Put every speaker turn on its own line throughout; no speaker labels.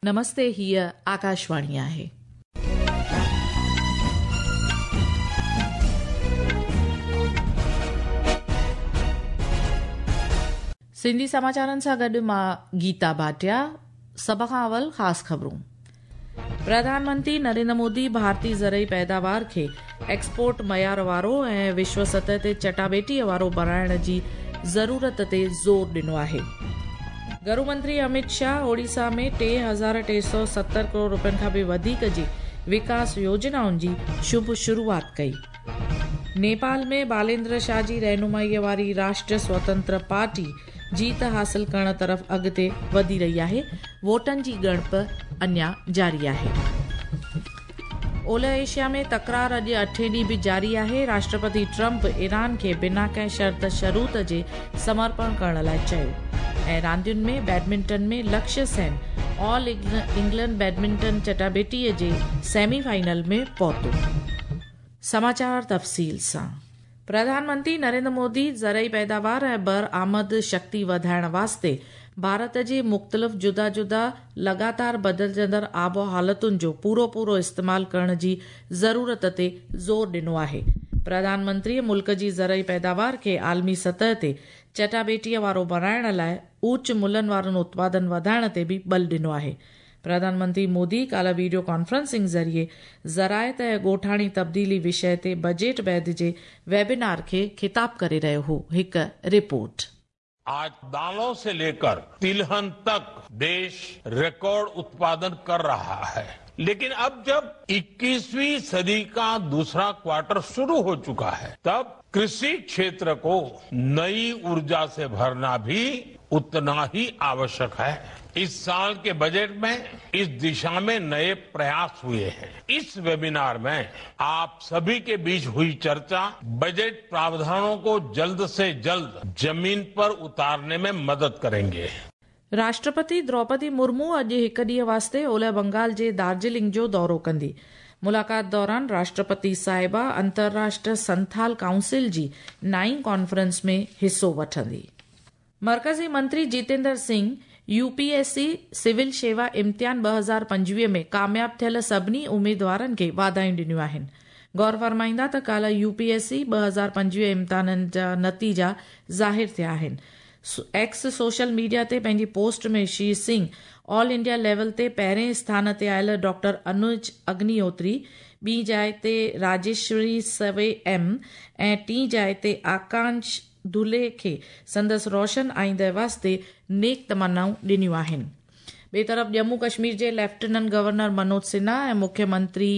نمستي هيء آڪاشواڻي آهي. سنڌي سماچارن سان گڏ مان گيتا ڀاٽيا سڀ کان اول خاص خبرون پرڌان منتري نريندر مودي ڀارتي زرعي پيداوار کي ايڪسپورٽ معيار وارو ۽ وشو سطح تي چٽاڀيٽي وارو بڻائڻ جي ضرورت تي زور ڏنو آهي. گهرو منتري اميت شاهه اوڙيسا ۾ 3370 ڪروڙ رپين کان به وڌيڪ جي وڪاس يوجنائن جي شڀ شروعات ڪئي. نيپال ۾ باليندر شاهه جي رهنمائي واري راشٽر سوتنتر پارٽي جيت حاصل ڪرڻ طرف اڳتي وڌي رهي آهي، ووٽن جي ڳڻپ اڃا جاري آهي. اولهه ايشيا ۾ تڪرار اڄ اٺين ڏينهن به جاري آهي، راشٽرپتي ٽرمپ ايران کي بنا ڪنهن شرط شروط جي سمرپڻ ڪرڻ لاء چيو ۽ راندين ۾ badminton ۾ Lakshya Sen all England badminton چٽاڀيٽي جي سيمي فائنل ۾ پهتو. سماچار تفصيل سان پرڌان منتري نريندر مودي زرعي پيداوار ۽ برآمد شڪتي وڌائڻ واسطي ڀارت جي مختلف جدا جدا لڳاتار بدلجندڙ آب و حالتن جو پورو پورو استعمال ڪرڻ جي ضرورت تي زور ڏنو آهي. پرڌان منتري ملڪ جي زرعي پيداوار کي عالمي سطح تي چٽاڀيٽيء وارو بڻائڻ لاء اوچ ملهن وارن اتپادن وڌائڻ تي به ٻل ڏنو آهي. پرڌان منتري مودي ڪالهه ويڊيو ڪانفرنسنگ ذريعي زراعت ۽ ڳوٺاڻي تبديلي وشيه تي بجيٽ بعد جي ويبينار کي خطاب ڪري رهيو هو. هڪ رپورٽ.
آج دالون سي ليڪر تلهن تڪ ديش رڪارڊ اتپادن ڪر رها هي ليڪن اب جب اڪيسوين صدي ڪا دوسرا ڪوارٽر شروع هو چڪا هي تب ڪرشي ڪشيتر ڪو نئي اورجا سي ڀرنا ڀي اتنا هي آوشيڪ هي. اس سال ڪي بجيٽ مين اس دشا مين نئي پرياس هئي هين. اس ويبينار مين آپ سڀي ڪي بيچ هئي چرچا بجيٽ پراوڌانون ڪو جلد سي جلد زمين پر اتارني مين مدد ڪرينگي.
راشٽرپتي دروپدي مرمو اڄ هڪ ڏينهن واسطي اولهه بنگال جي دارجلنگ جو دورو ڪندي. ملاقات دوران راشٽرپتي صاحبه انترراشٽر سنٿال ڪائونسل جي نائين ڪانفرنس ۾ حصو وٺندي. مرڪزي منتري Jitendra Singh U P S C civil شيوا امتحان 2025 ۾ ڪامياب ٿيل سڀني اميدوارن کي واڌايون ڏنيون آهن. غور فرمائيندا ته ڪالهه يو پي ايس سي 2025 امتحانن جا نتيجا ظاهر ٿيا آهن. ايڪس سوشل ميڊيا تي پنهنجي post ۾ Shri Singh all India level تي پهرين اسٿان تي آيل ڊاڪٽر انوج اگنيهوتري، ٻي جاء تي راجيشوري سوي ايم ۽ ٽين جاء تي آڪانش دولي کي سندس روشن آئينده واسطي نيڪ تمنائون ڏنيون آهن. ٻئي طرف ڄمون ڪشمير جي ليفٽيننٽ گورنر منوج سنها ۽ مکيه منتري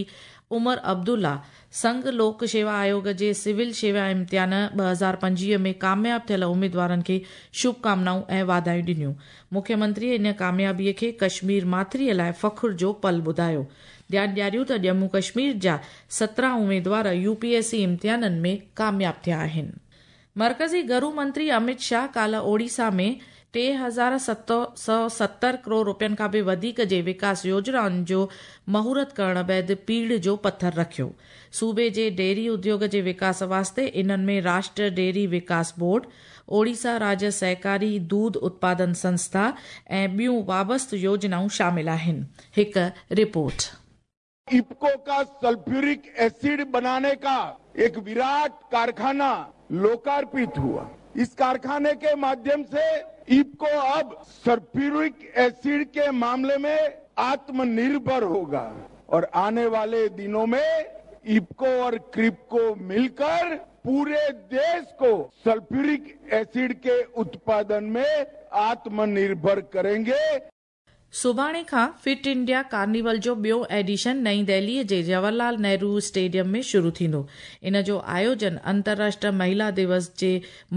عمر عبدالله سنگهه لوڪ شيوا آيوڳ جي سول شيوا امتحان 2025 ۾ ڪامياب ٿيل اميدوارن کي شڀ ڪامنائون ۽ واڌايون ڏنيون. مکيه منتري ان ڪاميابي کي ڪشمير ماٿري لاء فخر جو پل ٻڌايو. ڌيان ڏياريو ته ڄمون ڪشمير جا 17 اميدوار يو پي ايس سي امتحانن ۾ ڪامياب ٿيا آهن. مرڪزي گهرو منتري اميت شاهه ڪالهه اوڙيسا ۾ 3770 ڪروڙ رپين کان به وڌيڪ جي وڪاس يوجنائن جو مهورت ڪرڻ بعد پيڙهه جو پٿر رکيو. صوبي جي ڊيري اديوگ جي وڪاس واسطي انهن ۾ راشٽر ڊيري وڪاس بورڊ، اوڙيسا راجيه سهڪاري دودھ اتپادن سنسٿا ۽ ٻيون وابسته يوجنائون شامل آهن. هڪ رپورٽ.
इफको का सल्फ्यूरिक एसिड बनाने का एक विराट कारखाना लोकार्पित हुआ। इस कारखाने के माध्यम से इफको अब सल्फ्यूरिक एसिड के मामले में आत्मनिर्भर होगा और आने वाले दिनों में इफको और कृपको मिलकर पूरे देश को सल्फ्यूरिक एसिड के उत्पादन में आत्मनिर्भर करेंगे।
سڀاڻي کان فٽ انڊيا ڪارنيول جو ٻيو ايڊيشن نئين دهلي جي جواهر لال نهرو اسٽيڊيم ۾ شروع ٿيندو. ان جو آيوجن انترراشٽر مهيلا دوس جي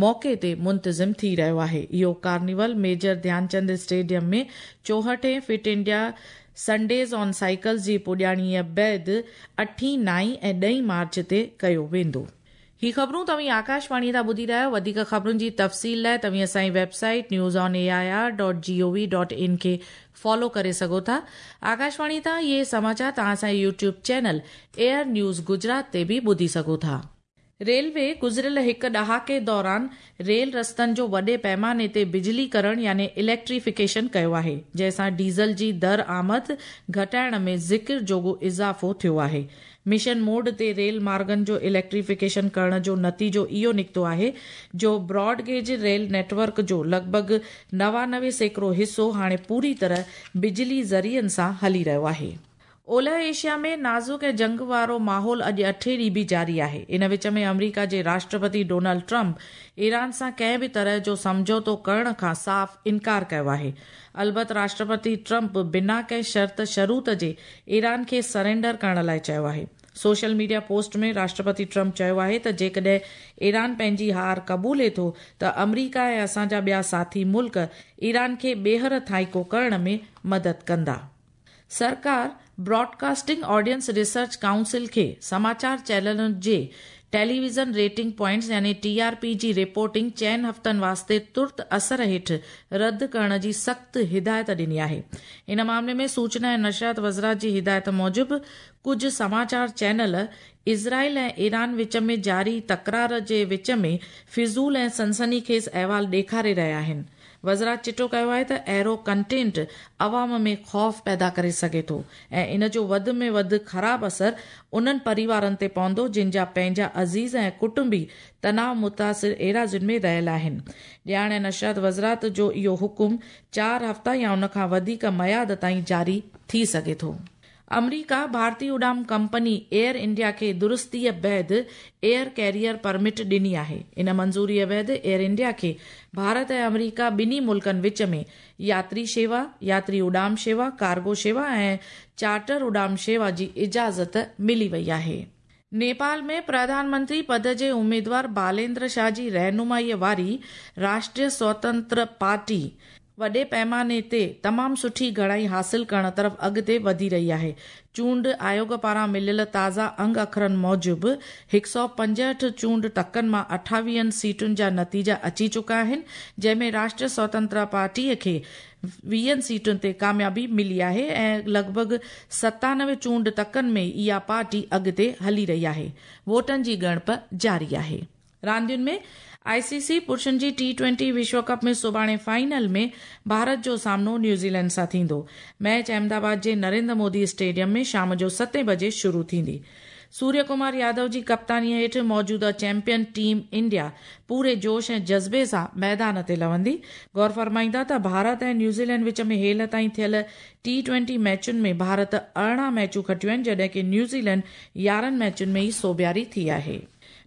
موقعي تي منتظم ٿي رهيو آهي. اهو ڪارنيول ميجر ڌيانچند اسٽيڊيم ۾ چوهٺين fit India Sundays on cycles جي پڄاڻيء بعد اٺين، نائين ۽ ڏهين مارچ تي ڪيو ويندو. هي خبرون توهين آڪاشواڻيء تان ٻڌي رهيا آهيو. وڌيڪ خبرن جي تفصيل لاء توهين اسان جي website news on A I R dot G O V dot in کي فالو ڪري سگهو ٿا. آڪاشواڻي تان اهي سماچار توهان اسان جي YouTube channel AIR news Gujarat تي به ٻڌي سگهو ٿا. ريلوي گذريل هڪ ڏهاڪي دوران ريل رستن جو وڏي پيماني تي بجلي ڪرڻ يعني اليڪٽريفڪيشن ڪيو آهي، جنهن سان ڊيزل جي درآمد گهٽائڻ ۾ ذڪر جوڳو اضافو ٿيو آهي. مشن موڊ تي ريل مارگن جو اليڪٽريفڪيشن ڪرڻ جو نتيجو اهو نڪتو آهي جو broad gauge rail net work جو لڳ ڀڳ 99% حصو هاڻي پوري طرح بجلي ذريعن سان هلي رهيو آهي. اولهه ايشيا ۾ نازڪ ۽ جنگ وارو ماحول اڄ اٺين ڏينهن به جاري آهي. ان وچ ۾ آمريڪا جي راشٽرپتي ڊونلڊ ٽرمپ ايران سان ڪنهن به طرح جو سمجهوتو ڪرڻ کان صاف انڪار ڪيو آهي. البت راشٽرپتي ٽرمپ بنا ڪنهن شرط شروط جي ايران کي سرينڊر ڪرڻ لاء چيو آهي. Social media post ۾ Rashtrapati Trump چيو آهي ته جيڪڏهن ايران پنهنجي هار قبولي ٿو ته آمريڪا ۽ اسان جا ٻيا ساٿي ملڪ ايران کي ٻيهر ٿائيڪو ڪرڻ ۾ مدد ڪندا. سرڪار براڊڪاسٽنگ آڊينس ريسرچ ڪائونسل کي سماچار چينلن جي ٽيليويزن ريٽنگ پوائنٽس يعني ٽي آر پي جي رپورٽنگ چئن هفتن واسطي ترت اثر هيٺ رد ڪرڻ جي سخت هدايت ڏني آهي. ان معاملي ۾ سوچنا ۽ نشريات وزارت جي هدايت موجب ڪجهه سماچار چينل اسرائيل ۽ ايران وچ ۾ جاري تڪرار جي وچ ۾ فضول ۽ سنسني خيز احوال ڏيکاري رهيا آهن. وزارت چٽو ڪيو آهي ته اهڙو ڪنٽينٽ عوام ۾ خوف پيدا ڪري سگهي ٿو ۽ ان جو وڌ ۾ وڌ خراب اثر انهن پريوارن تي پوندو جن جا پنهنجا عزيز ۽ ڪٽنبي تناء متاثر ايراضين ۾ رهيل آهن. ڄاڻ ۽ نشريات وزارت جو اهو حڪم چار هفتا يا ان کان وڌيڪ ميعاد تائين جاري ٿي سگهي ٿو. آمريڪا ڀارتي اڏام ڪمپني ايئر انڊيا کي درستيء بعد ايئر ڪيريئر پرمٽ ڏني آهي. ان منظوريء بعد ايئر انڊيا کي ڀارت ۽ آمريڪا ٻنهي ملڪن وچ ۾ ياتري شيوا، ياتري اڏام شيوا، ڪارگو شيوا ۽ چارٽر اڏام شيوا جي اجازت ملي وئي آهي. نيپال ۾ پرڌان منتري پد جي اميدوار باليندر شاهه جي رهنمائيء واري راشٽريه سوتنتر پارٽي وڏي پئماني تي تمام سٺي گهڻائي حاصل ڪرڻ طرف اڳتي وڌي رهي آهي. چونڊ آيوڳ پاران مليل تازا انگ اکرن موجب 165 چونڊ تڪن مان اٺاويهن سيٽن جا نتيجا اچي چڪا آهن، جنهن ۾ راشٽريه سوتنترا پارٽيء کي ويهن سيٽن تي ڪاميابي ملي آهي ۽ لڳ ڀڳ 97 چونڊ تڪن ۾ اها پارٽي اڳتي هلي رهي آهي. ووٽن جي ڳڻپ جاري آهي. راندين ۾ آء سي سي پرشن جي ٽي ٽوئنٽي وشو ڪپ ۾ سڀاڻي فائنل ۾ ڀارت جو سامنو نيوزيلينڊ سان ٿيندو. ميچ احمد آباد جي نريندر مودي اسٽيڊيم ۾ شام جو ستين بجي شروع ٿيندي. سوريه ڪمار يادو جي ڪپتاني هيٺ موجوده چيمپيئن ٽيم انڊيا پوري جوش ۽ جذبي سان ميدان تي لهندي. غور فرمائيندا ته ڀارت ۽ نيوزيلينڊ وچ ۾ هيل تائين ٿيل ٽي ٽوئنٽي ميچن ۾ ڀارت 18 ميچون کٽيون آهن جڏهن ڪي نيوزيلينڊ 11 ميچن ۾ ئي سوڀياري ٿي آهي.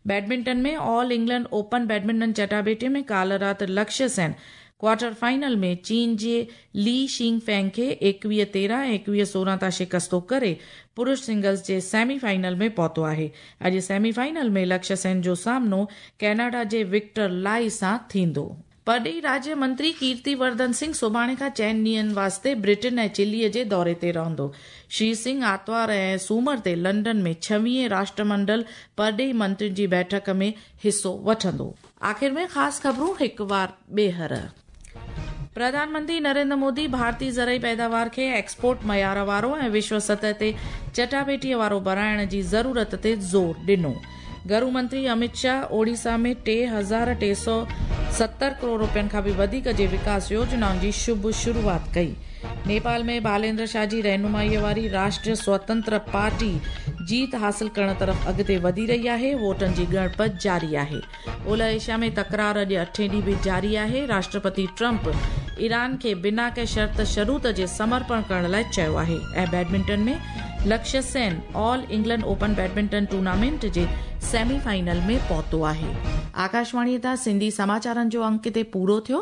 Badminton ۾ all England open badminton چٽاڀيٽي ۾ ڪالهه رات لڪشيه سين ڪوارٽر فائنل ۾ چين جي لي شينگ فينگ کي 21 13 ۽ 21 16 تان شڪستو ڪري پرش سنگلز جي سيمي فائنل ۾ پهتو آهي. اڄ سيمي فائنل ۾ لڪشيه سين جو سامنو ڪئناڊا جي وڪٽر لائي سان ٿيندو. پرڏيهي راجيه منتري ڪيرتي ورڌن سنگهه سڀاڻي کان چئن ڏينهن واسطي برٽن ۽ چلي جي دوري تي رهندو. شري سنگهه آتوار ۽ سومر تي لنڊن ۾ ڇويهين راشٽرمنڊل پرڏيهي منترين جي بيٺڪ ۾ حصو وٺندو. آخر ۾ خاص خبرون هڪ وار ٻيهر. پرڌان منتري نريندر مودي ڀارتي زرعي پيداوار کي ايڪسپورٽ معيار وارو ۽ وشو سطح تي چٽاڀيٽيء وارو بڻائڻ جي ضرورت تي زور ڏنو. گهرو منتري امت شاهه اوڙيسا ۾ 3370 ڪروڙ رپين کان به وڌيڪ جي وڪاس يوجنائن جي شڀ شروعات ڪئي. نيپال ۾ باليندر شاهه جي رهنمائيء واري راشٽريه سوتنتر پارٽي جيت حاصل ڪرڻ طرف اڳتي وڌي رهي آهي، ووٽن جي ڳڻپ جاري آهي. اولهه ايشيا ۾ تڪرار اڄ اٺين ڏينهن به جاري آهي، راشٽرپتي ٽرمپ ايران کي بنا ڪنهن شرط شروط جي سمرپڻ ڪرڻ لاء چيو آهي ۽ badminton ۾ Lakshya Sen all England open badminton tournament جي سيمي فائنل ۾ پهتو آهي. آڪاشواڻي تان سنڌي سماچارن جو انڪ هتي پورو ٿيو.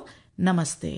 نمستي.